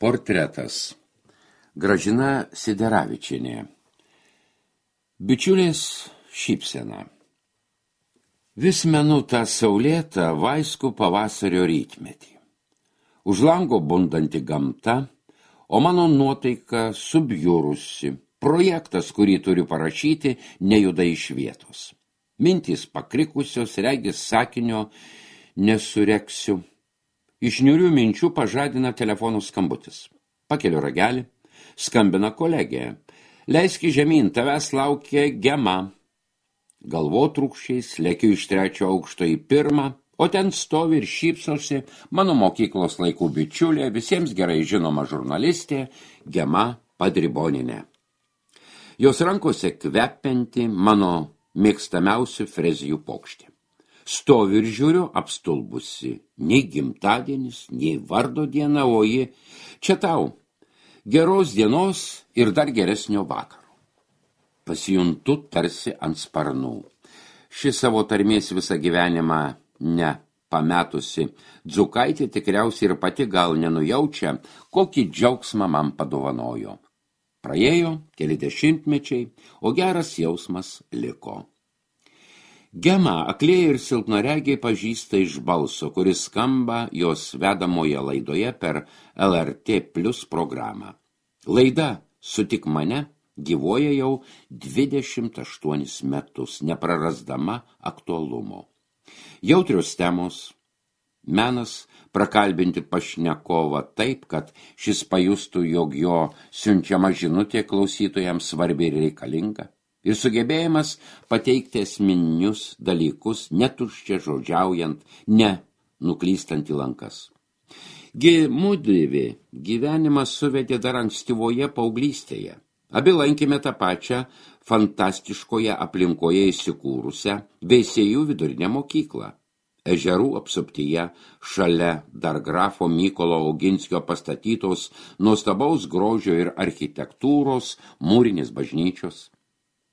Portretas. Gražina Sideravičienė. Bičiulės šypsena. Vis menu tą saulėtą vaiskų pavasario rytmetį. Už lango bundanti gamta, o mano nuotaika subjurusi. Projektas, kurį turiu parašyti, nejuda iš vietos. Mintys pakrikusios, regis sakinio nesureksiu. Iš niūrių minčių pažadina telefonų skambutis. Pakeliu ragelį, skambina kolegė. Leiski žemyn, tavęs laukia Gema. Galvotrūkščiais lekiu iš 3 aukšto į 1, o ten stovi ir šypsosi mano mokyklos laikų bičiulė, visiems gerai žinoma žurnalistė Gema Padriboninė. Jos rankose kvepianti mano mėgstamiausių frezijų pokštė. Stoviu ir žiūriu apstulbusi, nei gimtadienis, nei vardo diena, o ji čia tau, geros dienos ir dar geresnio vakaro. Pasijuntu tarsi ant sparnų. Ši savo tarmės visą gyvenimą nepametusi Dzukaitė tikriausiai ir pati gal nenujaučia, kokį džiaugsmą man padovanojo. Praėjo keli dešimtmečiai, o geras jausmas liko. Gema aklieji ir silpnaregiai pažįsta iš balso, kuris skamba jos vedamoje laidoje per LRT Plus programą. Laida Sutik mane gyvuoja jau 28 metus, neprarasdama aktualumo. Jautrios temos, menas prakalbinti pašnekovą taip, kad šis pajustų, jog jo siunčiama žinutė klausytojams svarbi ir reikalinga. Ir sugebėjimas pateikti esminius dalykus, netuščia žodžiaujant, ne nuklystant į lankas. Mudvi gyvenimas suvedė dar ankstyvoje paauglystėje. Abi lankėme tą pačią fantastiškoje aplinkoje įsikūrusią Veisiejų vidurinę mokyklą. Ežerų apsuptyje, šalia dar grafo Mykolo Oginskio pastatytos nuostabaus grožio ir architektūros mūrinės bažnyčios.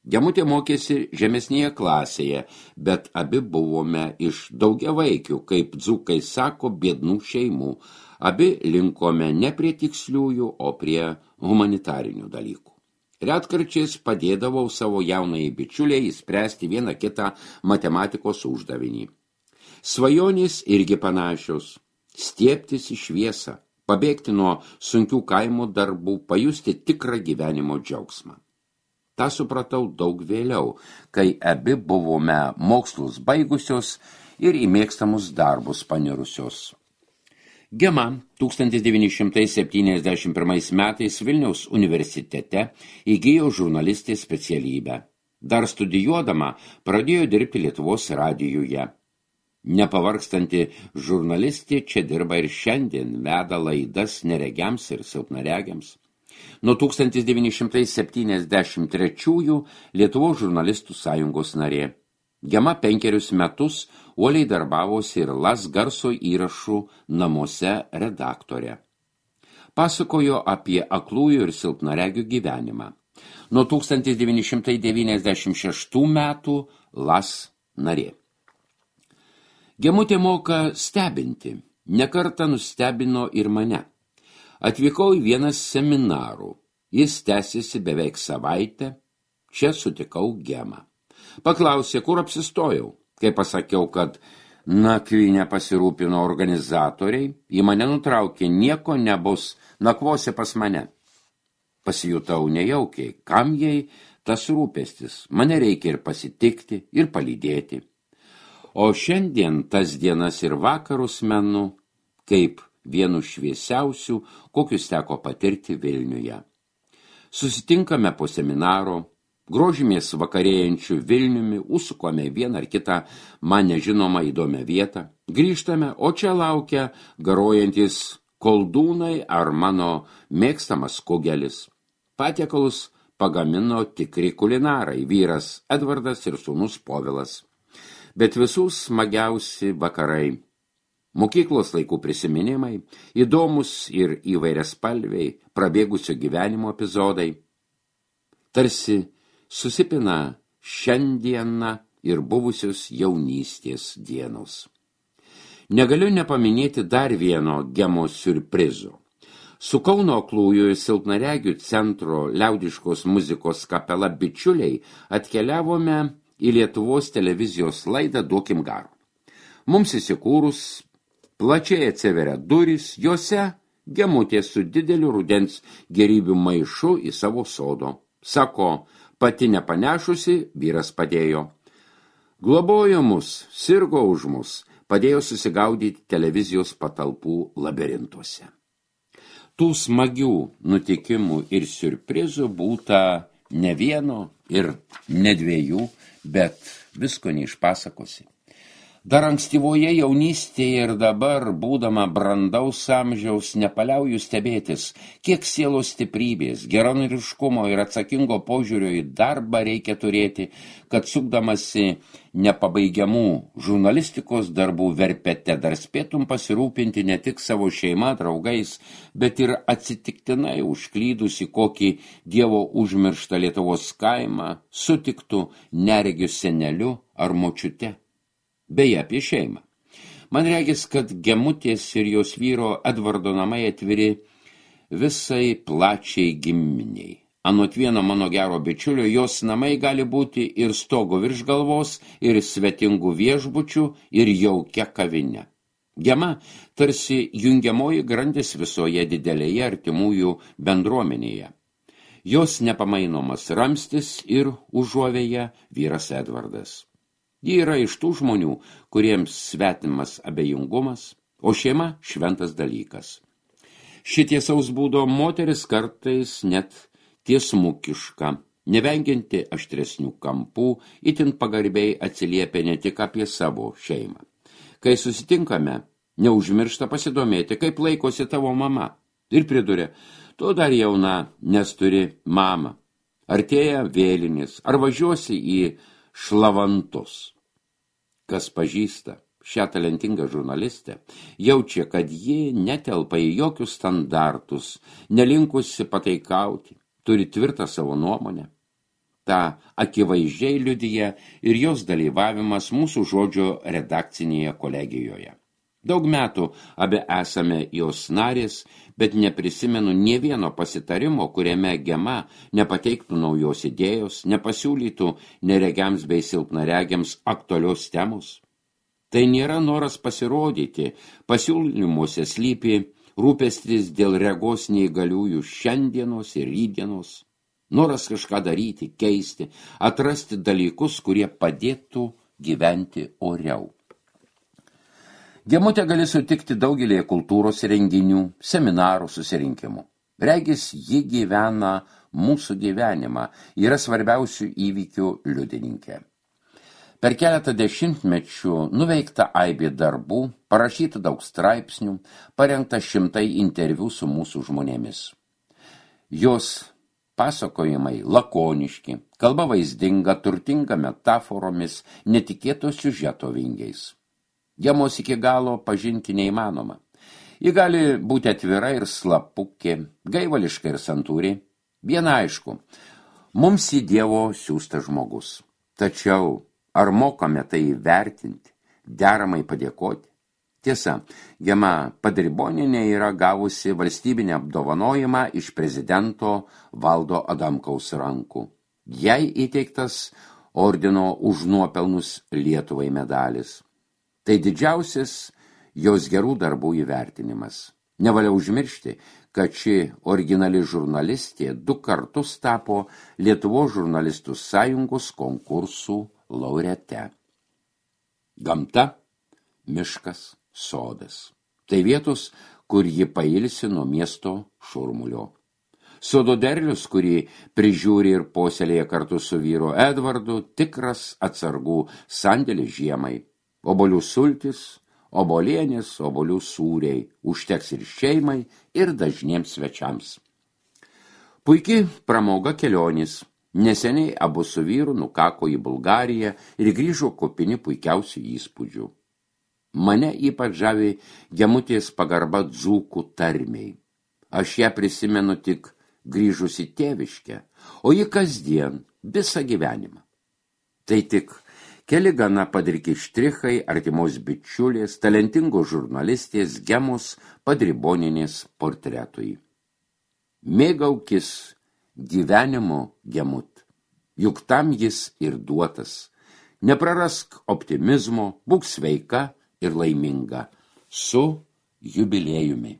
Gemutė mokėsi žemesnėje klasėje, bet abi buvome iš daugiavaikių, kaip dzūkai sako, biednų šeimų. Abi linkome ne prie tiksliųjų, o prie humanitarinių dalykų. Retkarčiais padėdavau savo jaunai bičiuliai įspręsti vieną kitą matematikos uždavinį. Svajonės irgi panašios – stiebtis į šviesą, pabėgti nuo sunkių kaimo darbų, pajusti tikrą gyvenimo džiaugsmą. Ta supratau daug vėliau, kai abi buvome mokslus baigusios ir į mėgstamus darbus panirusios. Gema 1971 metais Vilniaus universitete įgijo žurnalistės specialybę. Dar studijuodama pradėjo dirbti Lietuvos radijuje. Nepavargstanti žurnalistė čia dirba ir šiandien, veda laidas neregiams ir silpnaregiams. Nuo 1973 Lietuvos žurnalistų sąjungos narė. Gema 5 metus uoliai darbavosi ir LAS garso įrašų namuose redaktorė. Pasakojo apie aklųjų ir silpnaregių gyvenimą. Nuo 1996 metų LAS narė. Gemutė moka stebinti, nekartą nustebino ir mane. Atvykau į vieną seminarų. Jis tęsiasi beveik savaitę. Čia sutikau Gemą. Paklausė, kur apsistojau. Kai pasakiau, kad nakvynę pasirūpino organizatoriai, į mane nutraukė, nieko nebus, nakvosi pas mane. Pasijutau nejaukiai, kam jai tas rūpestis. Mane reikia ir pasitikti, ir palydėti. O šiandien tas dienas ir vakarus menu, kaip vienu šviesiausių, kokius teko patirti Vilniuje. Susitinkame po seminaro, grožimės vakarėjančių Vilniumi, užsukome vieną ar kitą man nežinomą įdomią vietą, grįžtame, o čia laukia garuojantis koldūnai ar mano mėgstamas kugelis. Patiekalus pagamino tikri kulinarai, vyras Edvardas ir sūnus Povilas. Bet visų smagiausi vakarai. Mokyklos laikų prisiminimai, įdomus ir įvairiaspalviai prabėgusio gyvenimo epizodai. Tarsi susipina šiandieną ir buvusios jaunystės dienos. Negaliu nepaminėti dar vieno Gemos siurprizo. Su Kauno aklųjų silpnaregių centro liaudiškos muzikos kapela bičiuliai atkeliavome į Lietuvos televizijos laidą Duokim garo. Mums įsikūrus plačiai atsiveria durys, jose Gemutė su dideliu rudens gerybių maišu į savo sodo. Sako, pati nepanešusi, vyras padėjo. Globojo mus, sirgo už mus, padėjo susigaudyti televizijos patalpų labirintuose. Tų smagių nutikimų ir siurprizų būta ne vieno ir ne dviejų, bet visko neišpasakosi. Dar ankstyvoje jaunystėje ir dabar, būdama brandaus amžiaus, nepaliauju stebėtis, kiek sielos stiprybės, geranoriškumo ir atsakingo požiūrio į darbą reikia turėti, kad sukdamasi nepabaigiamų žurnalistikos darbų verpete dar spėtum pasirūpinti ne tik savo šeima, draugais, bet ir atsitiktinai užklydusi kokį Dievo užmirštą Lietuvos kaimą sutiktų neregiu seneliu ar močiute. Beje, apie šeimą. Man regis, kad Gemutės ir jos vyro Edvardo namai atviri visai plačiai giminiai. Anot vieno mano gero bičiulio, jos namai gali būti ir stogo virš galvos, ir svetingų viešbučių, ir jaukia kavinė. Gema tarsi jungiamoji grandis visoje didelėje artimųjų bendruomenėje. Jos nepamainomas ramstis ir užuovėja vyras Edvardas. Ji yra iš tų žmonių, kuriems svetimas abejingumas, o šeima šventas dalykas. Šitiesaus būdo moteris kartais net tiesmukiška, nevengianti aštresnių kampų, itin pagarbiai atsiliepia ne tik apie savo šeimą. Kai susitinkame, neužmiršta pasidomėti, kaip laikosi tavo mama. Ir priduria, tu dar jauna, nes turi mamą. Artėja vėlinės, ar važiuosi į Šlavantus. Kas pažįsta šią talentingą žurnalistę, jaučia, kad ji netelpa į jokius standartus, nelinkusi pataikauti, turi tvirtą savo nuomonę. Ta akivaizdžiai liudija ir jos dalyvavimas mūsų žodžio redakcinėje kolegijoje. Daug metų abi esame jos narės, bet neprisimenu nė vieno pasitarimo, kuriame Gema nepateiktų naujos idėjos, nepasiūlytų neregiams bei silpnaregiams aktualios temos. Tai nėra noras pasirodyti, pasiūlymuose slypi rūpestis dėl regos neįgaliųjų šiandienos ir rydienos, noras kažką daryti, keisti, atrasti dalykus, kurie padėtų gyventi oriau. Gemutę gali sutikti daugelėje kultūros renginių, seminarų, susirinkimų. Regis, ji gyvena mūsų gyvenimą, yra svarbiausių įvykių liudininkė. Per keletą dešimtmečių nuveikta aibė darbų, parašyta daug straipsnių, parengta 100 interviu su mūsų žmonėmis. Jos pasakojimai lakoniški, kalba vaizdinga, turtinga metaforomis, netikėto siužeto vingiais. Gemos iki galo pažinti neįmanoma. Ji gali būti atvira ir slapukė, gaivališka ir santūri. Viena aišku, mums į Dievo siųstas žmogus. Tačiau ar mokame tai įvertinti, deramai padėkoti? Tiesa, Gema Padribonienė yra gavusi valstybinį apdovanojimą iš prezidento Valdo Adamkaus rankų. Jai įteiktas ordino už nuopelnus Lietuvai medalis. Tai didžiausias jos gerų darbų įvertinimas. Nevalia užmiršti, kad ši originali žurnalistė 2 kartus tapo Lietuvos žurnalistų sąjungos konkursų laureate. Gamta, miškas, sodas. Tai vietos, kur ji pailsi nuo miesto šurmulio. Sodo derlius, kurį prižiūri ir puoselėja kartu su vyru Edvardu, tikras atsargų sandėlis žiemai. Obolių sultis, obolienės, obolių sūriai užteks ir šeimai, ir dažniems svečiams. Puiki pramoga kelionės. Neseniai abu su vyru nukako į Bulgariją ir grįžo kupini puikiausių įspūdžių. Mane ypač žavi Gemutės pagarba dzūkų tarmiai. Aš ją prisimenu tik grįžusi tėviškę, o ji kasdien, visą gyvenimą. Tai tik keli gana padriki štrichai artimos bičiulės, talentingos žurnalistės Gemos Padribonienės portretui. Mėgaukis gyvenimo gemut, juk tam jis ir duotas. Neprarask optimizmo, būk sveika ir laiminga. Su jubiliejumi.